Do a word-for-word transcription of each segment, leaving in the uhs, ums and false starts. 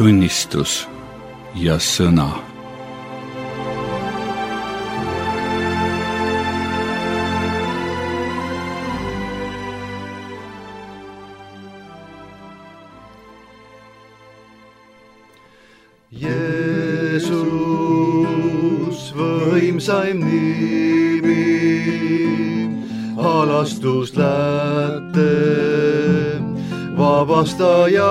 tunnistus ja sõna. Jeesus, võimsaim nimi, alastus lätte, vabastaja,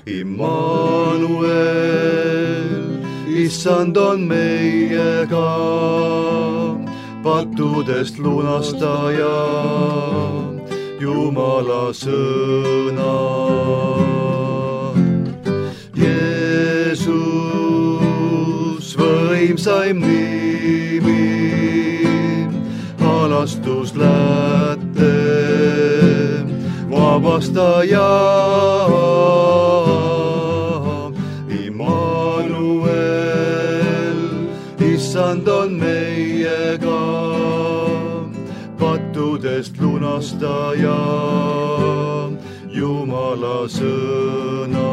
Immanuel, issand on meiega, pattudest lunastaja, Jumala sõna. Jeesus, võimsaim nimi, alastus lätte, vabastaja, Immanuel, issand on meiega, pattudest lunastaja, Jumala sõna.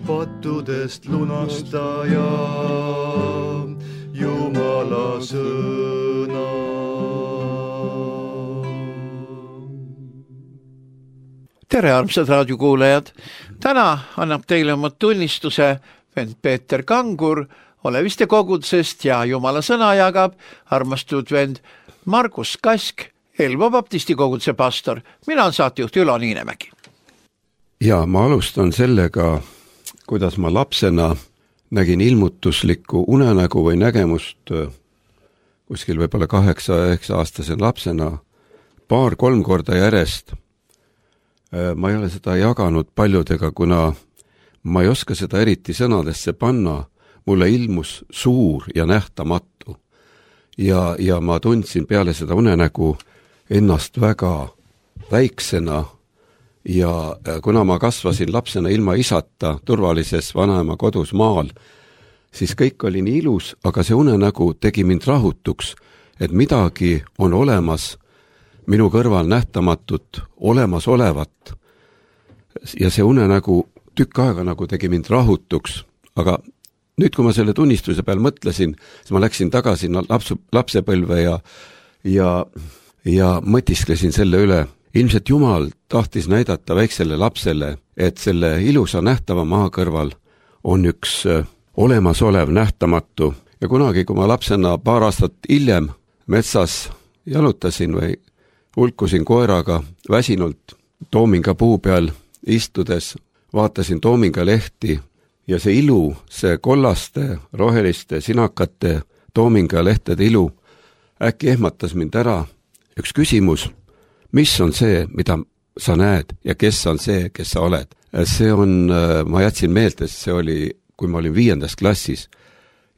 Pattudest lunastaja, Jumala sõna. Tere, armsad raadiokuulajad! Täna annab teile oma tunnistuse vend Peeter Kangur Oleviste kogudusest ja Jumala sõna jagab armastud vend Margus Kask, Elva baptisti koguduse pastor. Mina on saatejuht Ülo Niinemägi. Ja ma alustan sellega, kuidas ma lapsena nägin ilmutuslikku unenägu või nägemust kuskil võib-olla kaheksa-üheksa aastase lapsena paar-kolm korda järjest. Ma ei ole seda jaganud paljudega, kuna ma ei oska seda eriti sõnadesse panna. Mulle ilmus suur ja nähtamatu. Ja, ja ma tundsin peale seda unenägu ennast väga väiksena. Ja kuna ma kasvasin lapsena ilma isata turvalises vanaema kodus maal, siis kõik oli nii ilus, aga see unenägu tegi mind rahutuks, et midagi on olemas minu kõrval nähtamatut, olemas olevat. Ja see unenägu tükk aega nagu tegi mind rahutuks, aga nüüd, kui ma selle tunnistuse peal mõtlesin, siis ma läksin tagasi lapsu, lapsepõlve ja, ja, ja mõtisklesin selle üle. Ilmselt Jumal tahtis näidata väiksele lapsele, et selle ilusa nähtava maa kõrval on üks olemasolev nähtamatu. Ja kunagi, kui ma lapsena paar aastat hiljem metsas jalutasin või hulkusin koeraga väsinult toominga puu peal istudes, vaatasin toominga lehti ja see ilu, see kollaste, roheliste, sinakate toominga lehtede ilu äkki ehmatas mind ära. Üks küsimus, mis on see, mida sa näed ja kes on see, kes sa oled? See on, ma jätsin meelde, see oli, kui ma olin viiendas klassis.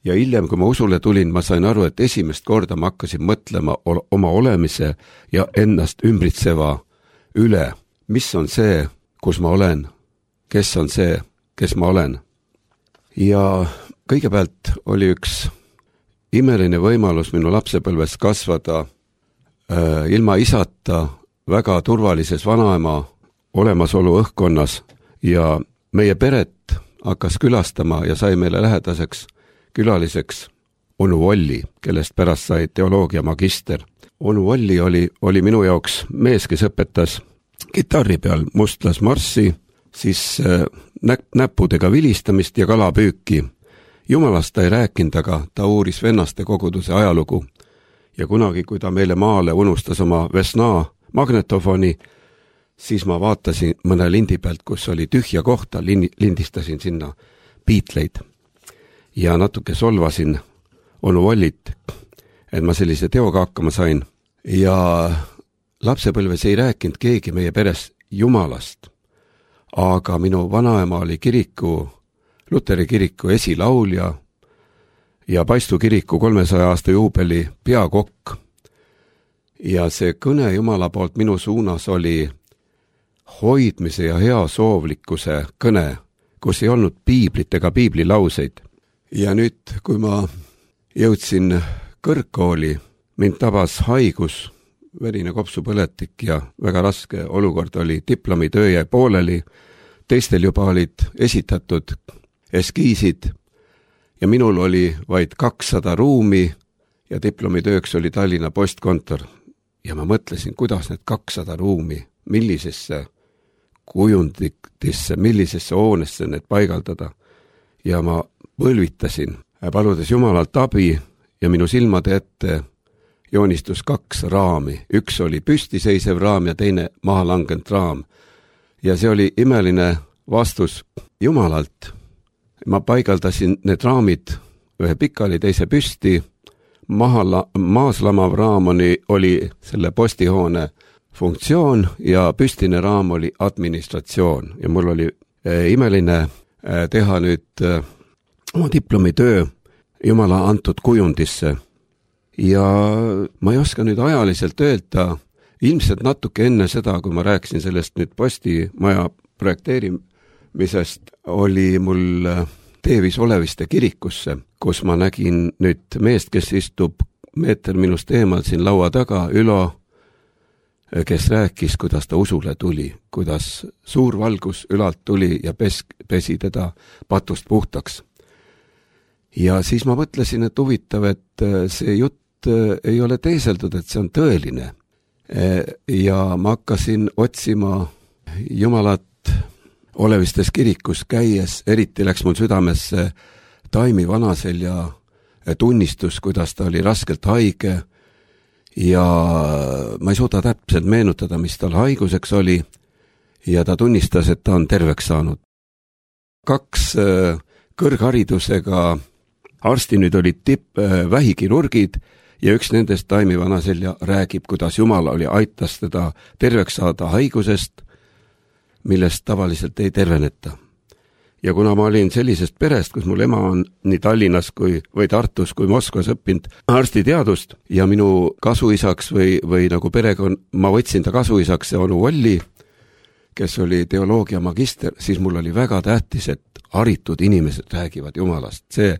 Ja hiljem, kui ma usule tulin, ma sain aru, et esimest korda ma hakkasin mõtlema oma olemise ja ennast ümbritseva üle. Mis on see, kus ma olen? Kes on see, kes ma olen? Ja kõigepealt oli üks imeline võimalus minu lapsepõlves kasvada äh, ilma isata väga turvalises vanaema olemasolu õhkkonnas ja meie peret hakkas külastama ja sai meile lähedaseks külaliseks onu Volli, kellest pärast sai teoloogia magister. Onu Volli oli, oli minu jaoks mees, kes õpetas kitarri peal mustlas marssi, siis äh, nä- näppudega vilistamist ja kalapüüki. Jumalast ta ei rääkinud, aga ta uuris vennaste koguduse ajalugu. Ja kunagi, kui ta meile maale unustas oma Vesna magnetofoni, siis ma vaatasin mõne lindi pealt, kus oli tühja kohta, lindistasin sinna Beatleid. Ja natuke solvasin onu Vollit, et ma sellise teoga hakkama sain. Ja lapsepõlves ei rääkinud keegi meie peres Jumalast. Aga minu vanaema oli kiriku, Luteri kiriku esilaulja ja Paistu kiriku kolmesaja aasta juubeli peakokk. Ja see kõne Jumala poolt minu suunas oli hoidmise ja hea soovlikkuse kõne, kus ei olnud piiblit ega piiblilauseid. Ja nüüd, kui ma jõudsin kõrgkooli, mind tabas haigus, verine kopsupõletik ja väga raske olukord oli, diplomitöö jäi pooleli, teistel juba olid esitatud eskiisid ja minul oli vaid kakssada ruumi ja diplomitööks oli Tallinna postkontor. Ja ma mõtlesin, kuidas need kakssada ruumi, millisesse kujunditisse, millisesse hoonesse need paigaldada. Ja ma põlvitasin, paludes Jumalalt abi ja minu silmade ette joonistus kaks raami. Üks oli püstiseisev raam ja teine maha langenud raam. Ja see oli imeline vastus Jumalalt. Ma paigaldasin need raamid ühe pikali, teise püsti. Maha la- maas lamav raam oli, oli selle postihoone funktsioon ja püstine raam oli administratsioon. Ja mul oli äh, imeline äh, teha nüüd äh, oma diplomitöö Jumala antud kujundisse. Ja ma ei oska nüüd ajaliselt öelda, ilmselt natuke enne seda, kui ma rääkisin sellest nüüd postimaja projekteerimisest, oli mul teevis Oleviste kirikusse, kus ma nägin nüüd meest, kes istub meeter minust eemal siin laua taga, Ülo, kes rääkis, kuidas ta usule tuli, kuidas suur valgus ülalt tuli ja pes, pesi teda patust puhtaks. Ja siis ma mõtlesin, et huvitav, et see jutt ei ole teeseldud, et see on tõeline. Ja ma hakkasin otsima Jumalat Olevistes kirikus käies, eriti läks mul südamesse Taimi Vanaselja tunnistus, kuidas ta oli raskelt haige ja ma ei suuda täpselt meenutada, mis tal haiguseks oli ja ta tunnistas, et ta on terveks saanud. Kaks kõrgharidusega arsti nüüd olid tipp vähikirurgid ja üks nendest, Taimi Vanaselja, räägib, kuidas Jumal oli aitas teda terveks saada haigusest, millest tavaliselt ei terveneta. Ja kuna ma olin sellisest perest, kus mul ema on nii Tallinnas kui, või Tartus kui Moskvas õppinud arstiteadust ja minu kasuisaks või, või nagu perekond, ma võtsin ta kasuisaks, see onu Olli, kes oli teoloogia magister, siis mul oli väga tähtis, et haritud inimesed räägivad Jumalast. See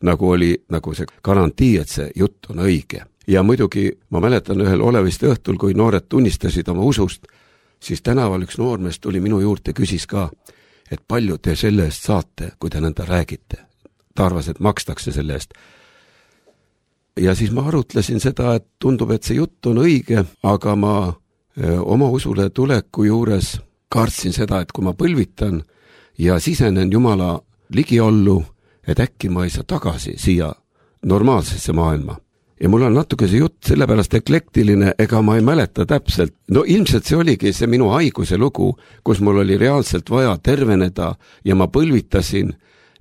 nagu oli nagu see garantii, et see jutt on õige. Ja muidugi ma mäletan ühel Oleviste õhtul, kui noored tunnistasid oma usust, siis tänaval üks noormees tuli minu juurde, küsis ka, et palju te selle eest saate, kui te nõnda räägite. Ta arvas, et makstakse selle eest. Ja siis ma arutlesin seda, et tundub, et see jutt on õige, aga ma öö, oma usule tuleku juures kartsin seda, et kui ma põlvitan ja sisenen Jumala ligiollu, et äkki ma ei saa tagasi siia normaalsesse maailma. Ja mul on natuke see jutt sellepärast eklektiline, ega ma ei mäleta täpselt. No ilmselt see oligi see minu haiguse lugu, kus mul oli reaalselt vaja terveneda ja ma põlvitasin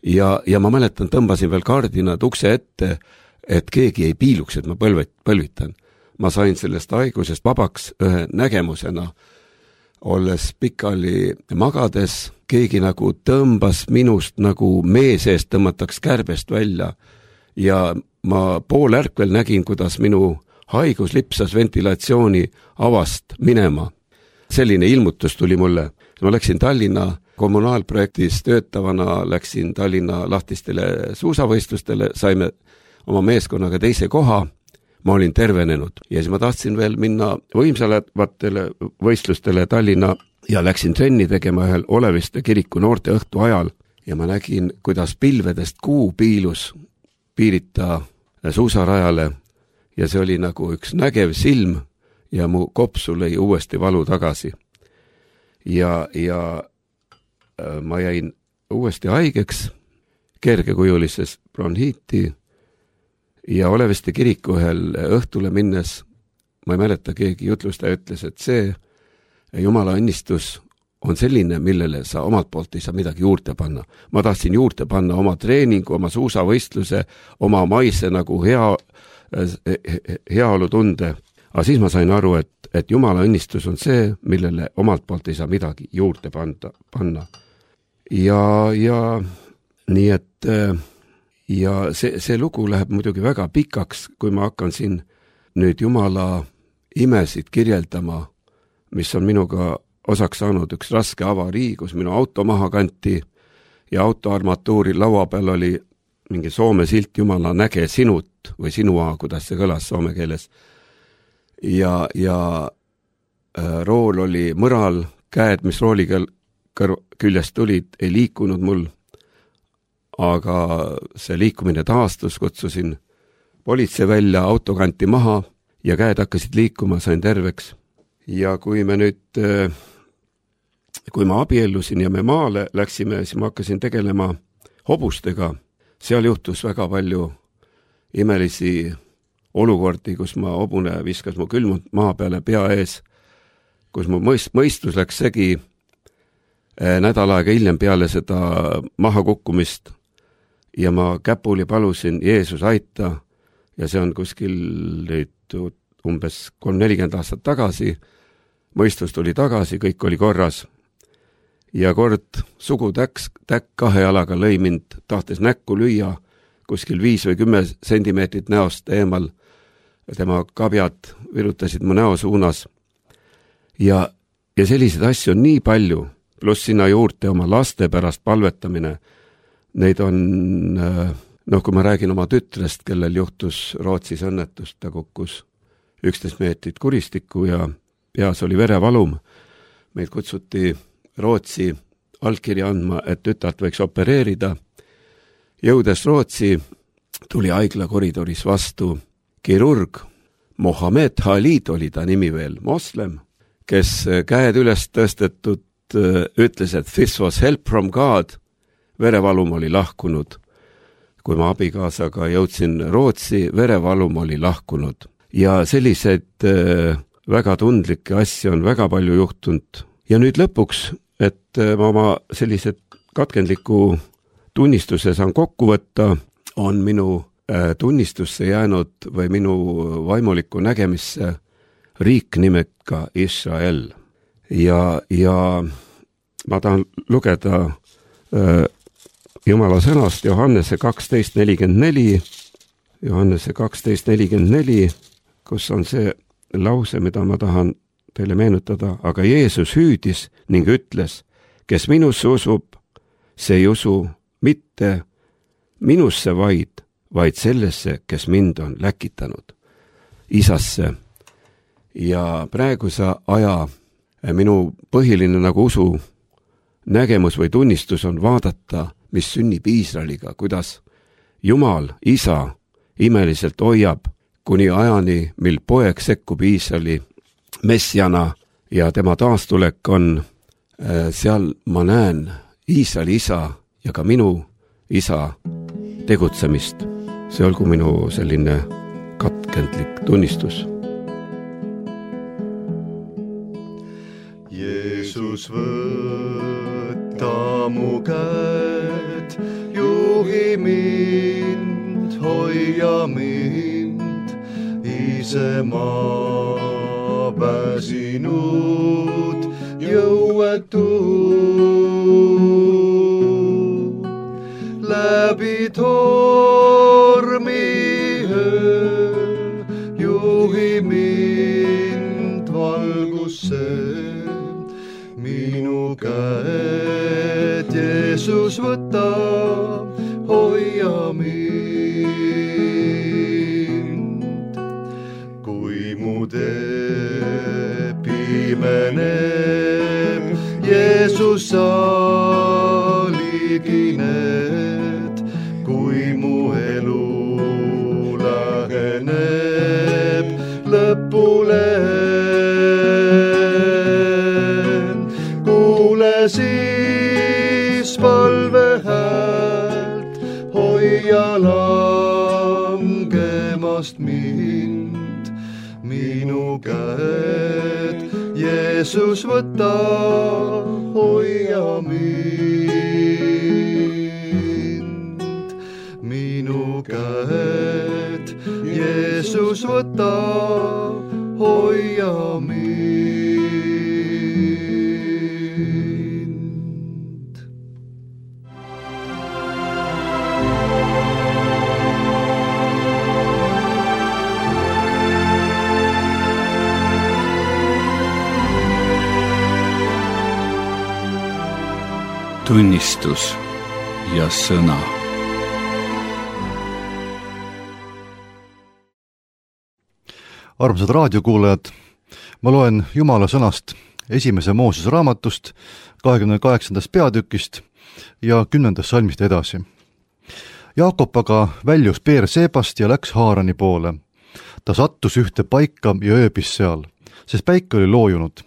ja, ja ma mäletan, tõmbasin veel kardinad ukse ette, et keegi ei piiluks, et ma põlvet, põlvitan. Ma sain sellest haigusest vabaks ühe nägemusena, olles pikali magades, keegi nagu tõmbas minust nagu mee seest tõmmataks kärbest välja ja ma pool ärkvel nägin, kuidas minu haigus lipsas ventilatsiooni avast minema. Selline ilmutus tuli mulle. Ma läksin Tallinna kommunaalprojektis töötavana, läksin Tallinna lahtistele suusavõistlustele, saime oma meeskonnaga teise koha, ma olin tervenenud. Ja siis ma tahtsin veel minna võimsalevatele võistlustele Tallinna ja läksin trenni tegema ühel Oleviste kiriku noorte õhtu ajal ja ma nägin, kuidas pilvedest kuu piilus piirita suusarajale ja see oli nagu üks nägev silm ja mu kopsu lõi uuesti valu tagasi. Ja, ja ma jäin uuesti haigeks, kergekujulises bronhiiti ja Oleviste kiriku ühel õhtule minnes, ma ei mäleta, keegi jutlustaja ütles, et see Jumala õnnistus on selline, millele sa omalt poolt ei saa midagi juurde panna. Ma tahtsin juurde panna oma treeningu, oma suusavõistluse, oma maise nagu hea, heaolu tunde. Aga siis ma sain aru, et, et Jumala õnnistus on see, millele omalt poolt ei saa midagi juurde panda, panna. Ja, ja nii et ja see, see lugu läheb muidugi väga pikaks, kui ma hakkan siin nüüd Jumala imesid kirjeldama, mis on minuga osaks saanud üks raske avarii, kus minu auto maha kanti ja autoarmatuuri laua peal oli mingi soome silt Jumala näge sinut või sinua, kuidas see kõlas soome keeles. ja, ja rool oli mõral, käed, mis rooliga kõr- küljest tulid, ei liikunud mul, aga see liikumine taastus, kutsusin politsei välja, auto kanti maha ja käed hakkasid liikuma, sain terveks. Ja kui me nüüd, kui ma abiellusin ja me maale läksime, siis ma hakkasin tegelema hobustega. Seal juhtus väga palju imelisi olukordi, kus ma hobune viskas mu külmud maa peale pea ees, kus mu mõist, mõistus läks segi nädal aega hiljem peale seda maha kukkumist ja ma käpuli palusin Jeesus aita ja see on kuskil nüüd umbes kolm nelikümmend aastat tagasi, mõistus tuli tagasi, kõik oli korras ja kord sugutäks, täkk kahe jalaga lõi mind, tahtes näkku lüüa kuskil viis või kümme sentimeetrit näost eemal, tema kabjad virutasid mu näo suunas ja, ja selliseid asju on nii palju, pluss sinna juurde oma laste pärast palvetamine. Neid on, noh, kui ma räägin oma tütrest, kellel juhtus Rootsis õnnetust, ta kukkus üksteist meetrit kuristikku ja peas oli verevalum. Meid kutsuti Rootsi allkirja andma, et tütart võiks opereerida. Jõudes Rootsi tuli haigla koridoris vastu kirurg, Mohammed Khalid oli ta nimi veel, moslem, kes käed üles tõstetud ütles, et this was help from God, verevalum oli lahkunud. Kui ma abikaasaga jõudsin Rootsi, verevalum oli lahkunud. Ja selliseid väga tundlikke asju on väga palju juhtunud. Ja nüüd lõpuks, et ma oma sellised katkendliku tunnistuse saan kokku võtta, on minu tunnistusse jäänud või minu vaimulikku nägemisse riik nimega Israel. Ja, ja ma tahan lugeda äh, Jumala sõnast Johannese kaksteist nelikümmend neli, Johannese kaksteist nelikümmend neli, kus on see lause, mida ma tahan teile meenutada, aga Jeesus hüüdis ning ütles, kes minusse usub, see ei usu mitte minusse vaid, vaid sellesse, kes mind on läkitanud, isasse. Ja praeguse aja minu põhiline nagu usu nägemus või tunnistus on vaadata, mis sünnib Iisraeliga, kuidas Jumal, isa, imeliselt hoiab kuni ajani, mil poeg sekkub Iisraeli messiana ja tema taastulek on, seal ma näen Iisraeli isa ja ka minu isa tegutsemist. See olgu minu selline katkendlik tunnistus. Jeesus, võta mu käed, juhi mind, hoia mind, ise ma pääsinud jõuetu. Läbi tormi öö, juhi mind valgusse. Minu käed, Jeesus, võta, hoia mind. Kui mu tee pimeneb, Jeesus, sa ligined. Kui mu elu läheneb lõpule, siis palve häält, hoia langemast mind. Minu käed, Jeesus, võta, hoia mind. Minu käed, Jeesus, võta, hoia mind. Tunnistus ja sõna. Armsad raadiokuulajad, ma loen Jumala sõnast esimese Moosese raamatust, kahekümne kaheksandast peatükist ja kümnendast salmist edasi. Jaakop aga väljus Beershebast ja läks Haarani poole. Ta sattus ühte paika ja ööbis seal, sest päike oli loojunud.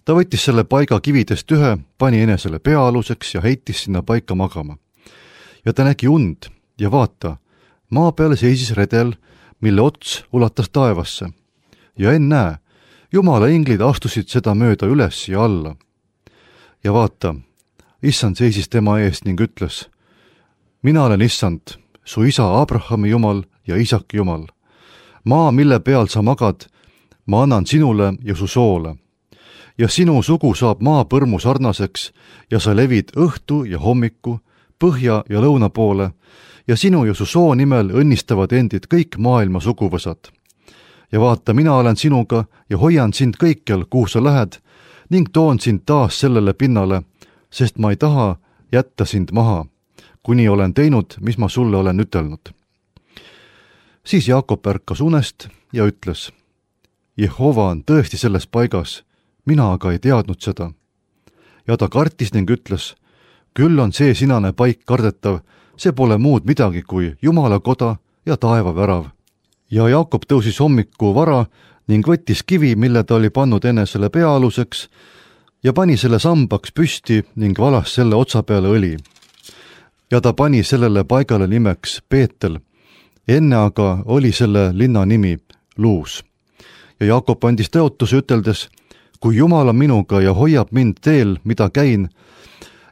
Ta võttis selle paiga kividest ühe, pani enesele peaaluseks ja heitis sinna paika magama. Ja ta nägi und ja vaata, maa peale seisis redel, mille ots ulatas taevasse. Ja ennäe, Jumala inglid astusid seda mööda üles ja alla. Ja vaata, Issand seisis tema eest ning ütles, mina olen Issand, su isa Abrahami Jumal ja Isaki Jumal. Maa, mille peal sa magad, ma annan sinule ja su soole. Ja sinu sugu saab maa põrmu sarnaseks ja sa levid õhtu ja hommiku, põhja ja lõuna poole ja sinu ja su soo nimel õnnistavad endid kõik maailma suguvõsad. Ja vaata, mina olen sinuga ja hoian sind kõikjal, kuhu sa lähed, ning toon sind taas sellele pinnale, sest ma ei taha jätta sind maha, kuni olen teinud, mis ma sulle olen ütelnud. Siis Jaakop ärkas unest ja ütles, Jehova on tõesti selles paigas, mina aga ei teadnud seda. Ja ta kartis ning ütles, küll on see sinane paik kardetav, see pole muud midagi kui Jumala koda ja taeva värav. Ja Jaakop tõusis hommiku vara ning võttis kivi, mille ta oli pannud enesele peaaluseks ja pani selle sambaks püsti ning valas selle otsa peale õli. Ja ta pani sellele paigale nimeks Peetel, enne aga oli selle linna nimi Luus. Ja Jaakop andis tõotuse üteldes, kui Jumal on minuga ja hoiab mind teel, mida käin,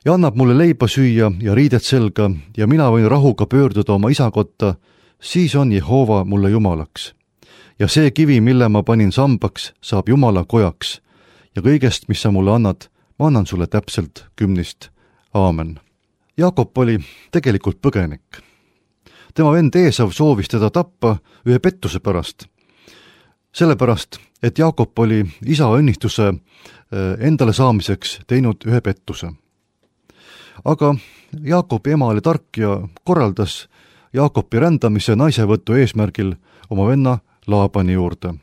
ja annab mulle leiba süüa ja riidet selga ja mina võin rahuga pöörduda oma isa kotta, siis on Jehova mulle Jumalaks. Ja see kivi, mille ma panin sambaks, saab Jumala kojaks. Ja kõigest, mis sa mulle annad, ma annan sulle täpselt kümnist. Aamen. Jaakop oli tegelikult põgenik. Tema vend Eesav soovis teda tappa ühe pettuse pärast. Sellepärast, et Jaakop oli isa õnnistuse endale saamiseks teinud ühe pettuse. Aga Jaakopi ema oli tark ja korraldas Jaakopi rändamise naisevõtu eesmärgil oma venna Laabani juurde.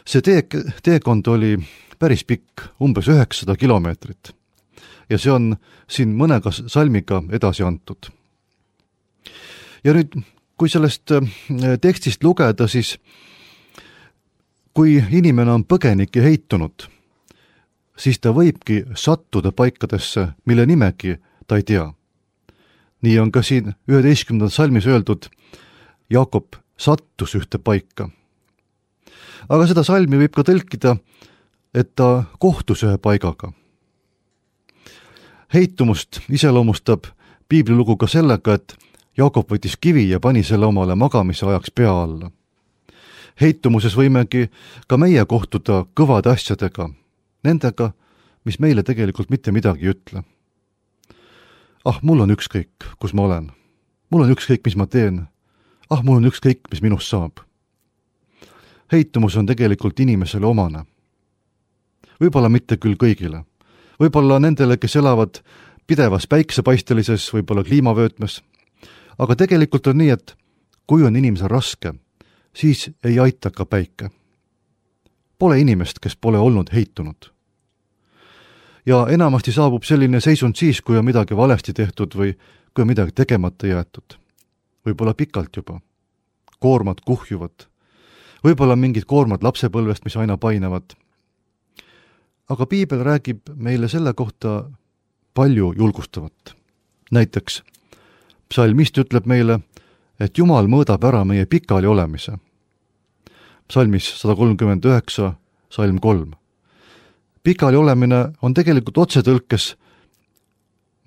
See tee, teekond oli päris pikk, umbes üheksasada kilomeetrit ja see on siin mõnega salmiga edasi antud. Ja nüüd, kui sellest tekstist lugeda, siis kui inimene on põgenik ja heitunud, siis ta võibki sattuda paikadesse, mille nimegi ta ei tea. Nii on ka siin üheteistkümnendal salmis öeldud, Jaakop sattus ühte paika. Aga seda salmi võib ka tõlkida, et ta kohtus ühe paigaga. Heitumust iseloomustab piiblilugu ka sellega, et Jaakop võttis kivi ja pani selle omale magamise ajaks pea alla. Heitumuses võimegi ka meie kohtuda kõvade asjadega, nendega, mis meile tegelikult mitte midagi ei ütle. Ah, mul on ükskõik, kus ma olen. Mul on ükskõik, mis ma teen. Ah, mul on ükskõik, mis minust saab. Heitumus on tegelikult inimesele omane. Võib-olla mitte küll kõigile. Võib-olla nendele, kes elavad pidevas päiksepaistelises, võib-olla kliimavöötmes. Aga tegelikult on nii, et kui on inimesel raske, siis ei aita ka päike. Pole inimest, kes pole olnud heitunud. Ja enamasti saabub selline seisund siis, kui on midagi valesti tehtud või kui on midagi tegemata jäetud. Võib-olla pikalt juba. Koormad kuhjuvad. Võib-olla mingid koormad lapsepõlvest, mis aina painavad. Aga piibel räägib meile selle kohta palju julgustavat. Näiteks, psalmist ütleb meile, et Jumal mõõdab ära meie pikali olemise. Psalmis sada kolmkümmend üheksa, salm kolm. Pikali olemine on tegelikult otsetõlkes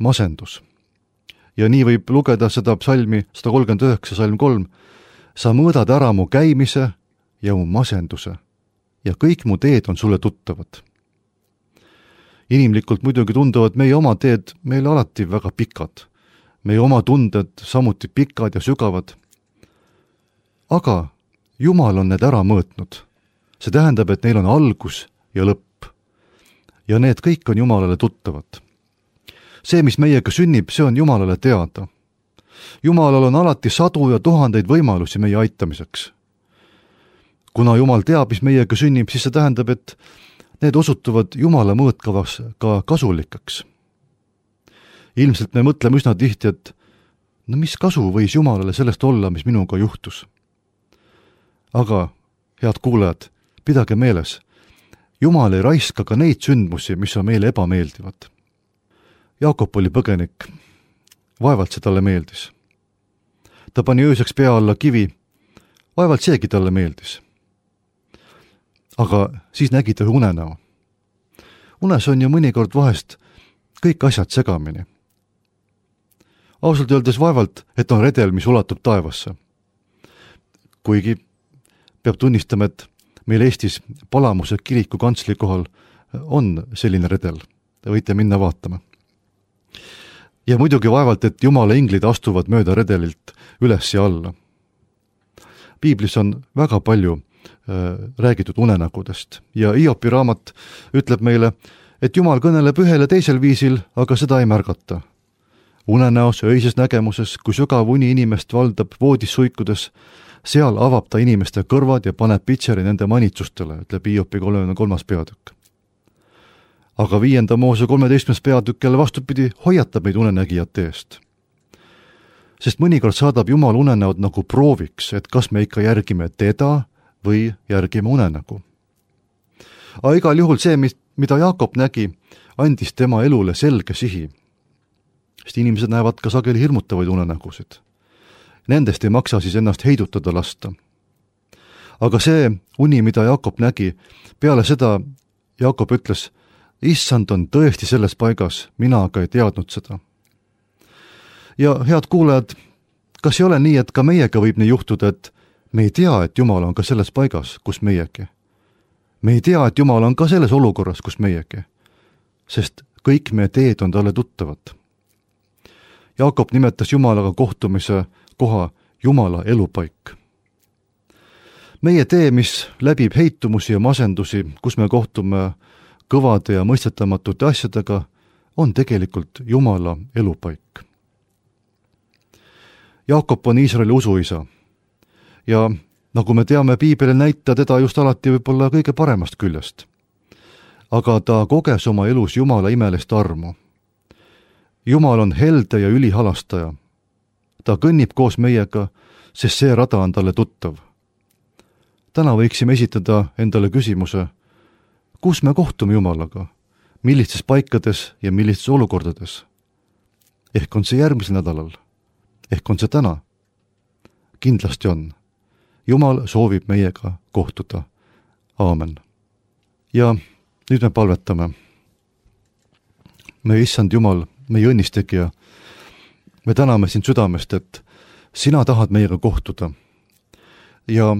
masendus. Ja nii võib lugeda seda psalmi sada kolmkümmend üheksa, salm kolm. Sa mõõdad ära mu käimise ja mu masenduse ja kõik mu teed on sulle tuttavad. Inimlikult muidugi tunduvad meie oma teed meile alati väga pikad. Meie oma tunded samuti pikad ja sügavad. Aga Jumal on need ära mõõtnud. See tähendab, et neil on algus ja lõpp. Ja need kõik on Jumalale tuttavad. See, mis meiega sünnib, see on Jumalale teada. Jumalal on alati sadu ja tuhandeid võimalusi meie aitamiseks. kuna Jumal teab, mis meiega sünnib, siis see tähendab, et need osutuvad Jumala mõõtkavas ka kasulikaks. Ilmselt me mõtleme üsna tihti, et no mis kasu võis Jumalale sellest olla, mis minuga juhtus. Aga, head kuulajad, pidage meeles, Jumal ei raiska ka neid sündmusi, mis on meile ebameeldivad. Jaakop oli põgenik, vaevalt see talle meeldis. Ta pani ööseks pea alla kivi, vaevalt seegi talle meeldis. Aga siis nägi ta unenäo. Unes on ju mõnikord vahest kõik asjad segamini. Ausalt öeldes vaevalt, et on redel, mis ulatub taevasse. Kuigi peab tunnistama, et meil Eestis Palamuse kiriku kantsli kohal on selline redel. Te võite minna vaatama. Ja muidugi vaevalt, et Jumala inglid astuvad mööda redelilt üles ja alla. Piiblis on väga palju äh, räägitud unenägudest ja Hiopi raamat ütleb meile, et Jumal kõneleb ühel ja teisel viisil, aga seda ei märgata. Unenäos, öises nägemuses, kui sügav uni inimest valdab voodis suikudes, seal avab ta inimeste kõrvad ja paneb pitseri nende manitsustele, ütleb Hiopi kolmekümne kolmas peatükk. Aga viienda Moose kolmeteistkümnes peatükk jälle vastupidi hoiatab meid unenägijate eest. Sest mõnikord saadab Jumal unenäod nagu prooviks, et kas me ikka järgime teda või järgime unenägu. Aga igal juhul see, mida Jaakop nägi, andis tema elule selge sihi. Sest inimesed näevad ka sageli hirmutavaid unenägusid. Nendest ei maksa siis ennast heidutada lasta. Aga see uni, mida Jaakop nägi, peale seda Jaakop ütles, issand on tõesti selles paigas, mina aga ei teadnud seda. Ja head kuulajad, kas ei ole nii, et ka meiega võib nii juhtuda, et me ei tea, et Jumal on ka selles paigas, kus meiegi. Me ei tea, et Jumal on ka selles olukorras, kus meiegi. Sest kõik meie teed on talle tuttavad. Jaakop nimetas Jumalaga kohtumise koha Jumala elupaik. Meie tee, mis läbib heitumusi ja masendusi, kus me kohtume kõvade ja mõistetamatute asjadega, on tegelikult Jumala elupaik. Jaakop on Iisraeli usuisa ja nagu me teame, Piibel näita teda just alati võib-olla kõige paremast küljest. Aga ta koges oma elus Jumala imelist armu. Jumal on helde ja ülihalastaja. Ta kõnnib koos meiega, sest see rada on talle tuttav. Täna võiksime esitada endale küsimuse, kus me kohtume Jumalaga, millistes paikades ja millistes olukordades. Ehk on see järgmisel nädalal, ehk on see täna. Kindlasti on. Jumal soovib meiega kohtuda. Aamen. Ja nüüd me palvetame. Me issand Jumal, meie õnnistegija, me täname sind südamest, et sina tahad meiega kohtuda. Ja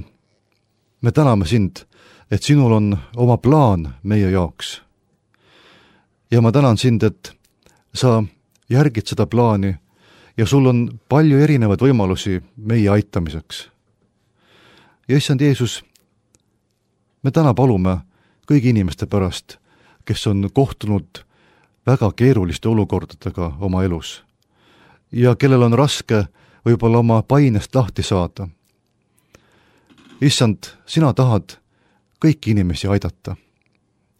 me täname sind, et sinul on oma plaan meie jaoks. Ja ma tänan sind, et sa järgid seda plaani ja sul on palju erinevaid võimalusi meie aitamiseks. Ja issand Jeesus, me täna palume kõigi inimeste pärast, kes on kohtunud väga keeruliste olukordadega oma elus ja kellel on raske võib-olla oma painest lahti saada. Issand, sina tahad kõiki inimesi aidata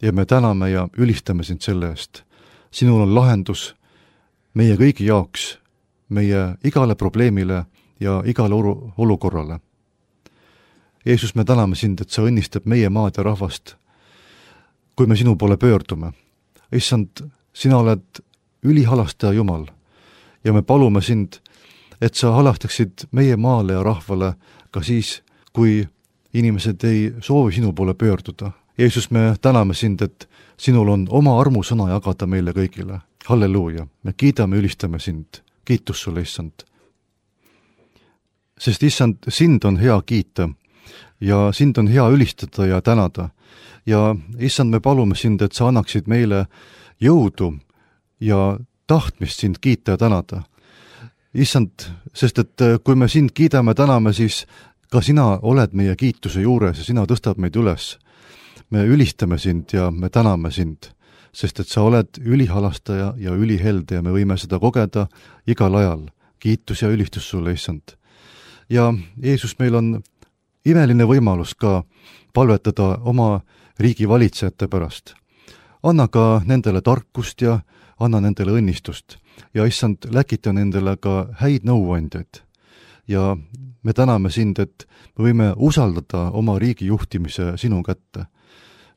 ja me täname ja ülistame sind selle eest. Sinul on lahendus meie kõigi jaoks, meie igale probleemile ja igale olukorrale. Jeesus, me täname sind, et sa õnnistab meie maad ja rahvast, kui me sinu poole pöördume. Issand, sina oled ülihalastaja Jumal ja me palume sind, et sa halastaksid meie maale ja rahvale ka siis, kui inimesed ei soovi sinu poole pöörduda. Jeesus, me täname sind, et sinul on oma armusõna jagada meile kõigile. Halleluuja, me kiidame, ülistame sind. Kiitus sulle, issand. Sest issand, sind on hea kiita ja sind on hea ülistada ja tänada. Ja issand, me palume sind, et sa annaksid meile jõudu ja tahtmist sind kiita ja tänada. Issand, sest et kui me sind kiidame, täname, siis ka sina oled meie kiituse juures ja sina tõstab meid üles. Me ülistame sind ja me täname sind, sest et sa oled ülihalastaja ja ülihelde ja me võime seda kogeda igal ajal. Kiitus ja ülistus sulle, issand. Ja Jeesus, meil on imeline võimalus ka palvetada oma riigi valitsejate pärast. Anna ka nendele tarkust ja anna nendele õnnistust ja issand, läkita nendele ka häid nõuandjaid. Ja me täname sind, et me võime usaldada oma riigi juhtimise sinu kätte.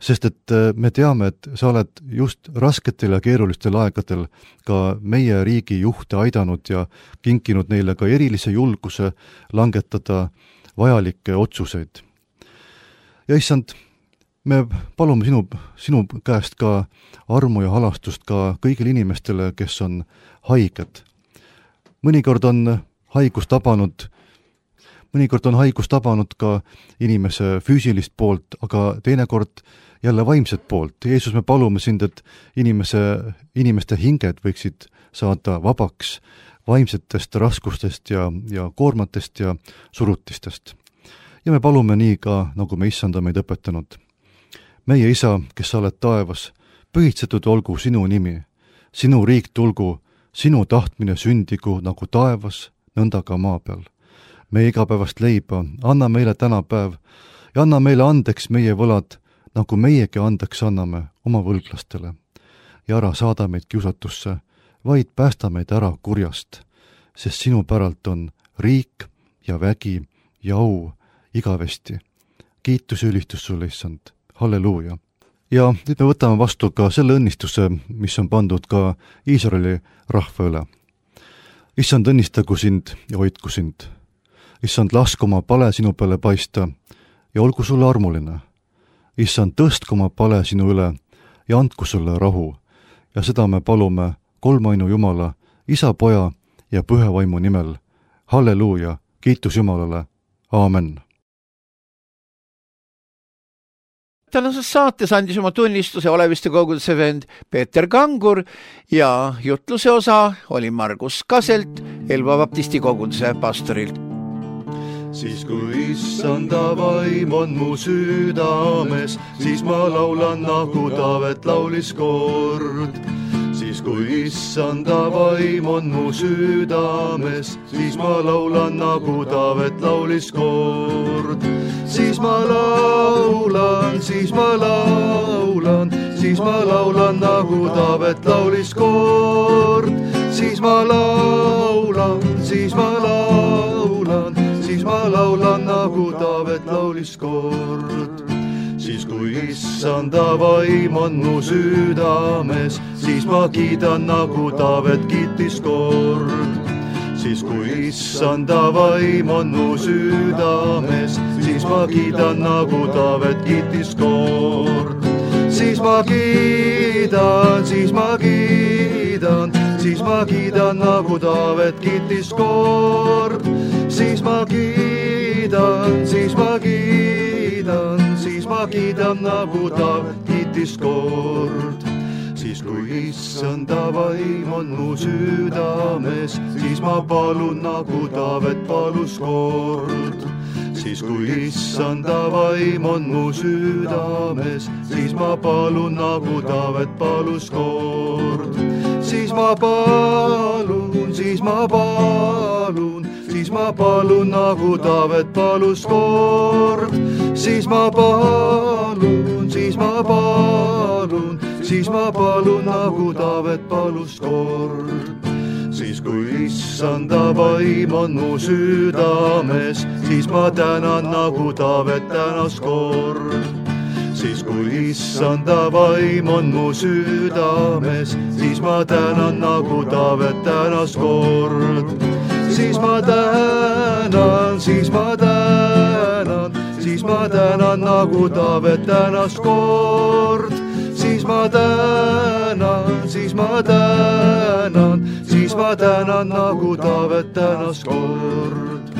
Sest et me teame, et sa oled just rasketel ja keerulistel aegadel ka meie riigi juhte aidanud ja kinkinud neile ka erilise julguse langetada vajalikke otsuseid. Ja issand, me palume sinu, sinu käest ka armu ja halastust ka kõigile inimestele, kes on haiged. Mõnikord on haigus tabanud, mõnikord on haigus tabanud ka inimese füüsilist poolt, aga teinekord jälle vaimset poolt. Jeesus, me palume sind, et inimese, inimeste hinged võiksid saada vabaks vaimsetest raskustest ja, ja koormatest ja surutistest. Ja me palume nii ka, nagu me issanda meid õpetanud. Meie isa, kes sa oled taevas, pühitsetud olgu sinu nimi, sinu riik tulgu, sinu tahtmine sündigu nagu taevas, nõnda ka maa peal. Meie igapäevast leiba, anna meile täna päev ja anna meile andeks meie võlad, nagu meiegi andeks anname oma võlglastele. Ja ära saada meid kiusatusse, vaid päästa meid ära kurjast, sest sinu päralt on riik ja vägi ja au igavesti. Kiitus ja ülistus sulle, issand. Halleluuja. Ja nüüd me võtame vastu ka selle õnnistuse, mis on pandud ka Iisraeli rahva üle. Issand, õnnistagu sind ja hoidku sind. Issand, lasku oma pale sinu peale paista ja olgu sulle armuline. Issand, tõstku oma pale sinu üle ja andku sulle rahu. Ja seda me palume kolmainu Jumala, Isa, Poja ja Püha Vaimu nimel. Halleluuja, kiitus Jumalale. Aamen. Tänases saates andis oma tunnistuse Oleviste koguduse vend Peeter Kangur ja jutluse osa oli Margus Kaselt, Elva Baptisti koguduse pastorilt. Siis kui issanda vaim on mu südames, siis ma laulan nagu Taavet laulis kord. Siis kui issanda vaim on mu südames, siis ma laulan nagu Taavet laulis kord. Siis ma laulan, siis ma laulan, siis ma laulan nagu Taavet laulis kord. Siis ma laulan, siis ma laulan, siis ma laulan nagu Taavet laulis kord. Siis kui issanda vaim on mu südames, siis ma kiidan nagu Taavet kiitis kord. Siis kui issanda vaim on mu südames, siis ma kiidan nagu Taavet kiitis kord. Siis ma kiidan, siis ma kiidan, siis ma kiidan nagu Taavet kiitis kord. Siis ma kiidan, siis ma kiidan, siis ma kiidan nagu Taavet kiitis kord. Siis kui issanda vaim on mu südames, siis ma palun nagu Taavet palus kord. Siis kui issanda vaim on mu südames, siis ma palun nagu Taavet palus kord. Siis ma palun, siis ma palun, siis ma palun nagu Taavet palus kord. Siis ma palun, siis ma palun, siis ma palun nagu Taavet palus kord. Siis kui issanda vaim on mu südames, siis ma tänan nagu Taavet tänas kord. Siis kui issanda vaim on mu südames, siis ma tänan nagu Taavet tänas kord. Siis ma tänan, siis ma tänan, siis ma tänan nagu Taavet tänas kord. Siis ma tänan, siis ma tänan, siis ma tänan nagu Taavet tänas kord.